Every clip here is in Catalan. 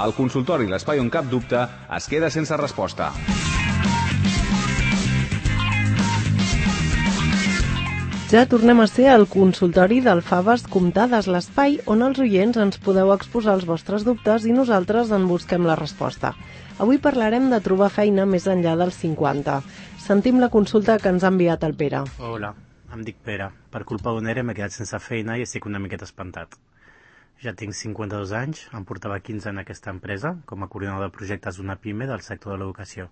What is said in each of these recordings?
El consultori, l'espai on cap dubte, es queda sense resposta. Ja tornem a ser al consultori del Faves Comptades, l'espai on els oients ens podeu exposar els vostres dubtes i nosaltres en busquem la resposta. Avui parlarem de trobar feina més enllà dels 50. Sentim la consulta que ens ha enviat el Pere. Hola, em dic Pere. Per culpa d'un ERE m'he quedat sense feina i estic una miqueta espantat. Ja tinc 52 anys, em portava 15 en aquesta empresa, com a coordinador de projectes d'una PIME del sector de l'educació.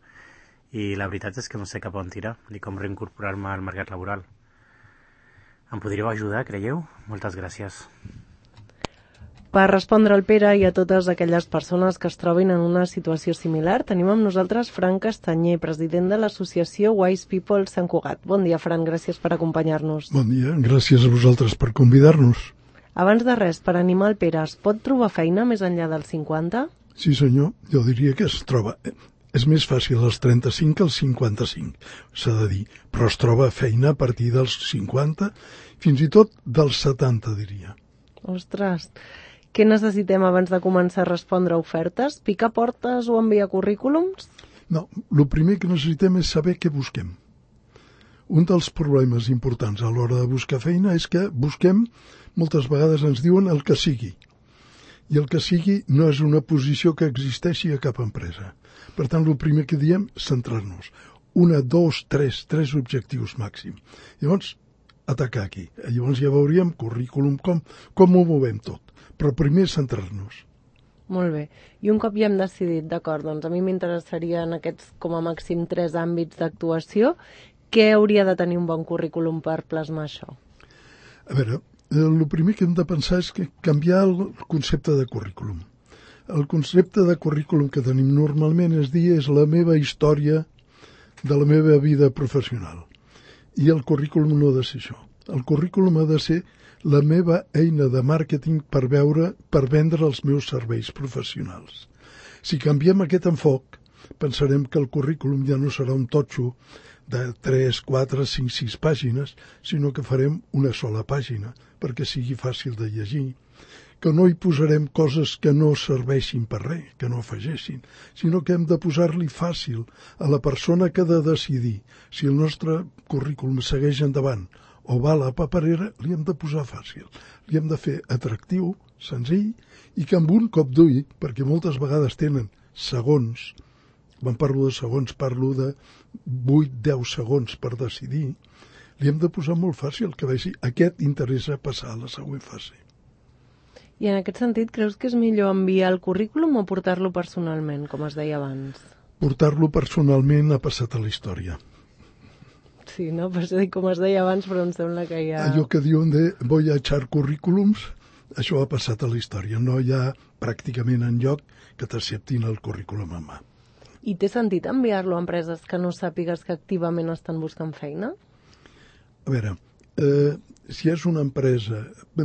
I la veritat és que no sé cap on tirar, ni com reincorporar-me al mercat laboral. Em podríeu ajudar, creieu? Moltes gràcies. Per respondre al Pere i a totes aquelles persones que es trobin en una situació similar, tenim amb nosaltres Fran Castanyer, president de l'associació Wise People Sant Cugat. Bon dia, Fran, gràcies per acompanyar-nos. Bon dia, gràcies a vosaltres per convidar-nos. Abans de res, per animar el Pere, es pot trobar feina més enllà dels 50? Sí, senyor, jo diria que es troba. És més fàcil als 35 que als 55, s'ha de dir, però es troba feina a partir dels 50, fins i tot dels 70, diria. Ostres, què necessitem abans de començar a respondre a ofertes? Picar portes o enviar currículums? No, el primer que necessitem és saber què busquem. Un dels problemes importants a l'hora de buscar feina és que busquem, moltes vegades ens diuen el que sigui. I el que sigui no és una posició que existeixi a cap empresa. Per tant, el primer que diem, centrar-nos. 1, 2, 3 objectius màxim. Llavors, atacar aquí. Llavors ja veuríem currículum, com ho movem tot. Però primer centrar-nos. Molt bé. I un cop ja hem decidit, d'acord, doncs a mi m'interessaria en aquests com a màxim 3 àmbits d'actuació, què hauria de tenir un bon currículum per plasmar això? A veure, el primer que hem de pensar és que canviar el concepte de currículum. El concepte de currículum que tenim normalment és la meva història de la meva vida professional. I el currículum no ha de ser això. El currículum ha de ser la meva eina de màrqueting per vendre els meus serveis professionals. Si canviem aquest enfoc, pensarem que el currículum ja no serà un totxo de 3, 4, 5, 6 pàgines, sinó que farem una sola pàgina perquè sigui fàcil de llegir, que no hi posarem coses que no serveixin per res, que no afegeixin, sinó que hem de posar-li fàcil a la persona que ha de decidir si el nostre currículum segueix endavant o va a la paperera, li hem de posar fàcil. Li hem de fer atractiu, senzill, i que amb un cop d'ull, perquè moltes vegades tenen segons, quan parlo de segons parlo de 8-10 segons per decidir, li hem de posar molt fàcil que vegi aquest interessa passar a la següent fase. I en aquest sentit, creus que és millor enviar el currículum o portar-lo personalment, com es deia abans? Portar-lo personalment ha passat a la història. Sí, no? Per això dic com es deia abans, però em sembla que ja... Allò que diuen de voy a echar currículums, això ha passat a la història. No hi ha pràcticament enlloc que t'acceptin el currículum en mà. I té sentit enviar-lo a empreses que no sàpigues que activament estan buscant feina? A veure, si és una empresa,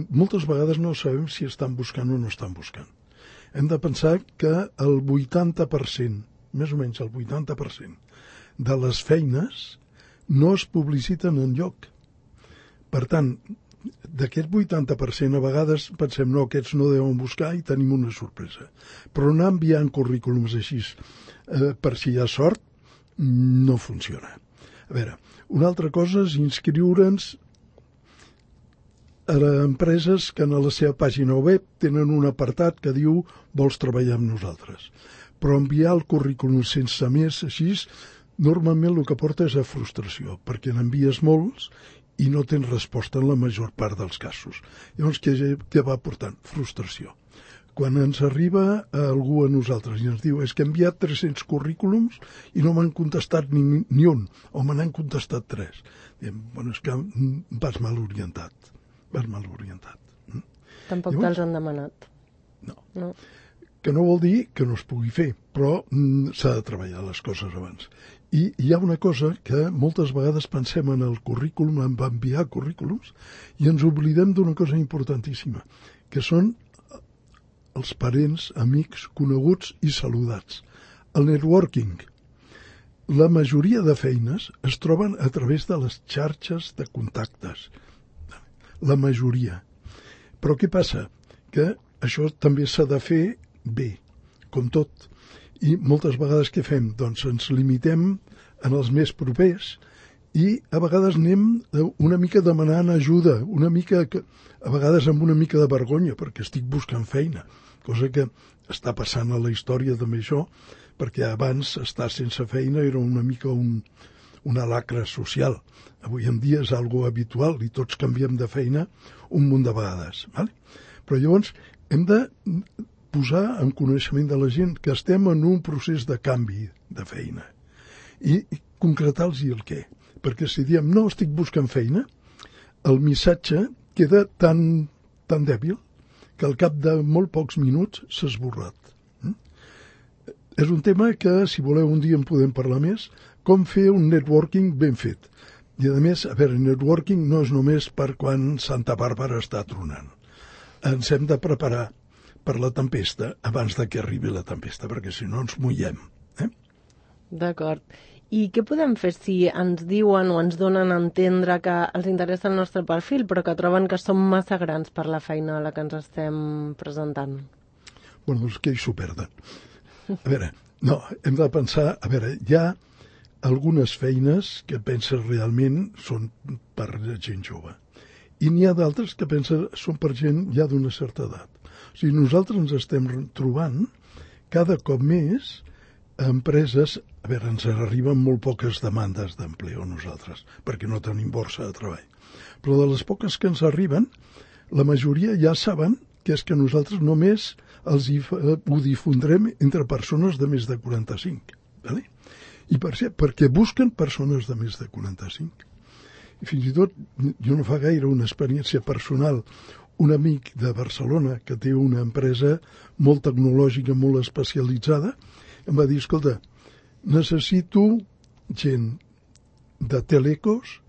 moltes vegades no sabem si estan buscant o no estan buscant. Hem de pensar que el 80%, més o menys el 80% de les feines no es publiciten enlloc. Per tant, d'aquest 80% a vegades pensem no, aquests no deuen buscar i tenim una sorpresa. Però anar enviant currículums així, per si hi ha sort, no funciona. A veure, una altra cosa és inscriure'ns a empreses que en la seva pàgina web tenen un apartat que diu vols treballar amb nosaltres. Però enviar el currículum sense més així, normalment el que porta és a frustració, perquè n'envies molts i no tens resposta en la major part dels casos. Llavors, què va portant? Frustració. Quan ens arriba algú a nosaltres i ens diu és que he enviat 300 currículums i no m'han contestat ni un, o me n'han contestat 3. Diem, bueno, és que vas mal orientat. Tampoc te'ls han demanat. No. Que no vol dir que no es pugui fer, però s'ha de treballar les coses abans. I hi ha una cosa que moltes vegades pensem en el currículum, en enviar currículums, i ens oblidem d'una cosa importantíssima, que són els parents, amics, coneguts i saludats. El networking. La majoria de feines es troben a través de les xarxes de contactes. La majoria. Però què passa? Que això també s'ha de fer bé. com tot. I moltes vegades què fem? Doncs ens limitem en els més propers i a vegades anem una mica demanant ajuda, a vegades amb una mica de vergonya, perquè estic buscant feina, cosa que està passant a la història també això, perquè abans estar sense feina era una mica una lacra social. Avui en dia és algo habitual i tots canviem de feina un munt de vegades. Vale? Però llavors hem de posar en coneixement de la gent que estem en un procés de canvi de feina i concretar-los el què. Perquè si diem no estic buscant feina, el missatge queda tan dèbil que al cap de molt pocs minuts s'ha esborrat. És un tema que, si voleu, un dia en podem parlar més, com fer un networking ben fet. I, a més, a veure, networking no és només per quan Santa Bàrbara està tronant. Ens hem de preparar per la tempesta abans de que arribi la tempesta, perquè si no ens mullem. D'acord. I què podem fer si ens diuen o ens donen a entendre que els interessa el nostre perfil, però que troben que som massa grans per la feina a la que ens estem presentant? Bueno, doncs que hi s'ho perden. A veure, no, hem de pensar, a veure, hi ha algunes feines que penses realment són per gent jove. I n'hi ha d'altres que penses són per gent ja d'una certa edat. O sigui, nosaltres ens estem trobant cada cop més empreses, a veure, ens arriben molt poques demandes d'empleo nosaltres, perquè no tenim borsa de treball. Però de les poques que ens arriben, la majoria ja saben que és que nosaltres només ho difondrem entre persones de més de 45. Vale? I perquè busquen persones de més de 45. I fins i tot, jo no fa gaire una experiència personal, un amic de Barcelona que té una empresa molt tecnològica, molt especialitzada, em va dir, escolta, necessito gent de telecos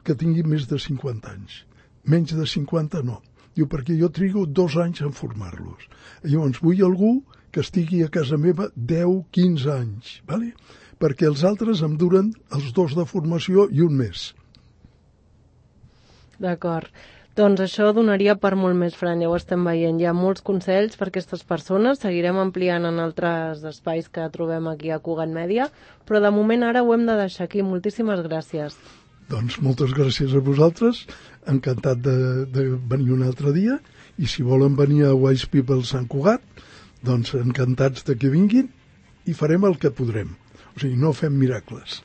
que tingui més de 50 anys. Menys de 50 no. Diu, perquè jo trigo 2 anys en formar-los. Llavors, vull algú que estigui a casa meva 10-15 anys, ¿vale? Perquè els altres em duren els 2 de formació i un mes. D'acord. Doncs això donaria per molt més, Fran, ja ho estem veient. Hi ha molts consells per a aquestes persones, seguirem ampliant en altres espais que trobem aquí a Cugat Mèdia, però de moment ara ho hem de deixar aquí. Moltíssimes gràcies. Doncs moltes gràcies a vosaltres, encantat de venir un altre dia, i si volen venir a Wise People Sant Cugat, doncs encantats de que vinguin i farem el que podrem. O sigui, no fem miracles.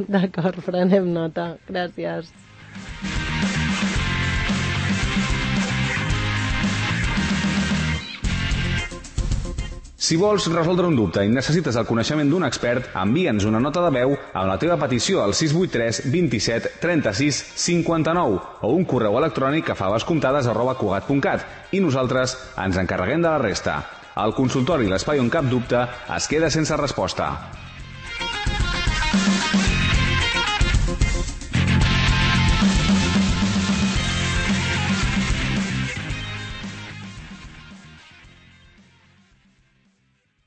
D'acord, prenem nota. Gràcies. Si vols resoldre un dubte i necessites el coneixement d'un expert, envia'ns una nota de veu amb la teva petició al 683 27 36 59 o un correu electrònic a favascomptades@cugat.cat i nosaltres ens encarreguem de la resta. El consultori L'Espai on cap dubte es queda sense resposta.